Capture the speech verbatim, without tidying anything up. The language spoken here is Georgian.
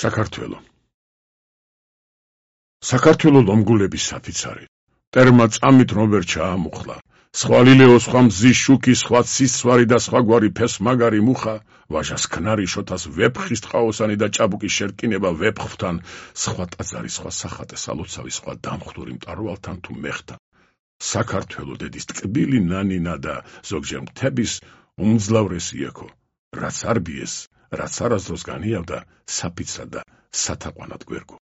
საქართველო საქართველო ლომგულების საფიცარი ტერმა წამით რომბერ ჩაამუხლა სხვა ლილეო სხვა მზის შუქი სხვა ცისვარი და სხვა გვარი ფესმაგარი მუხა ვაჟას ქნარი შოთას ვეფხის ტყაოსანი და ჭაბუკის შერკინება ვეფხვთან სხვა ტაძარი სხვა სახატე სალოცავი სხვა დამხტური მტარვალთან თუ მეხთან საქართველო დედის ტკბილი ნანინა და ზოგჯერ მთების უმძლავრესი ექო რაც არ ბიეს რაც არასდროს განიავდა საფიცრად და სათაყვანად გვერგო